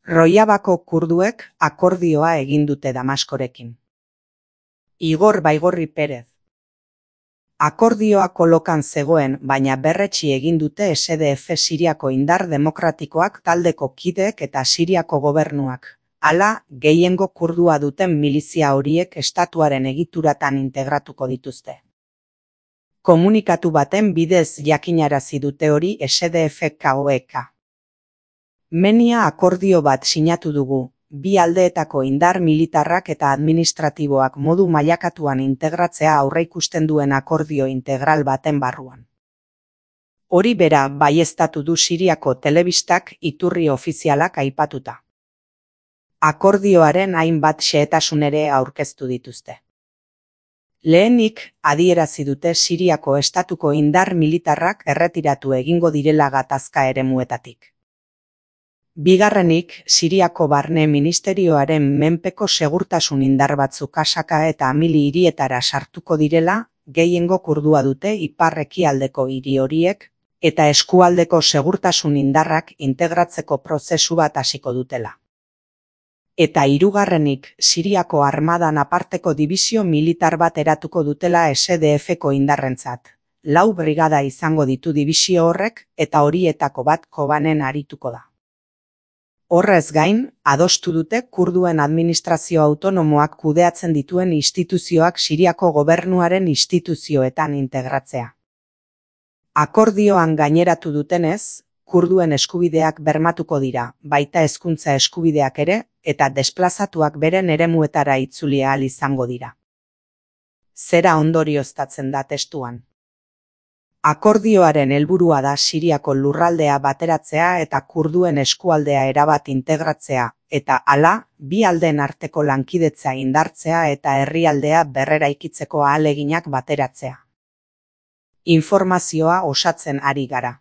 Rojavako kurduek akordioa egin dute Damaskorekin. Igor Baigorri Perez. Akordioa kolokan zegoen, baina berretsi egin dute SDF Siriako indar demokratikoak taldeko kideek eta Siriako gobernuak. Hala, gehiengo kurdua duten milizia horiek estatuaren egituratan integratuko dituzte. Komunikatu baten bidez jakinarazi dute hori SDF-KOEK. Menia akordio bat sinatu dugu, bi aldeetako indar militarrak eta administratiboak modu mailakatuan integratzea aurreikusten duen akordio integral baten barruan. Hori bera baieztatu du Siriako telebistak iturri ofizialak aipatuta. Akordioaren hainbat xehetasun ere aurkeztu dituzte. Lehenik, adierazi dute Siriako estatuko indar militarrak erretiratu egingo direla gatazka eremuetatik. Bigarrenik, Siriako barne ministerioaren menpeko segurtasun indar batzuk Kasaka eta Amili hirietara sartuko direla, gehiengo kurdua dute ipar-ekialdeko hiri horiek, eta eskualdeko segurtasun indarrak integratzeko prozesu bat hasiko dutela. Eta hirugarrenik, Siriako armadan aparteko dibisio militar bat eratuko dutela SDF-ko indarrentzat. 4 brigada izango ditu dibisio horrek, eta horietako bat Kobanen arituko da. Horrez gain, adostu dute kurduen administrazio autonomoak kudeatzen dituen instituzioak Siriako gobernuaren instituzioetan integratzea. Akordioan gaineratu dutenez, kurduen eskubideak bermatuko dira, baita hezkuntza eskubideak ere, eta desplazatuak beren eremuetara itzuli ahal izango dira. Zera ondorioztatzen da testuan. Akordioaren helburua da Siriako lurraldea bateratzea eta kurduen eskualdea erabat integratzea, eta hala, bi aldeen arteko lankidetza indartzea eta herrialdea berreraikitzeko ahaleginak bateratzea. Informazioa osatzen ari gara.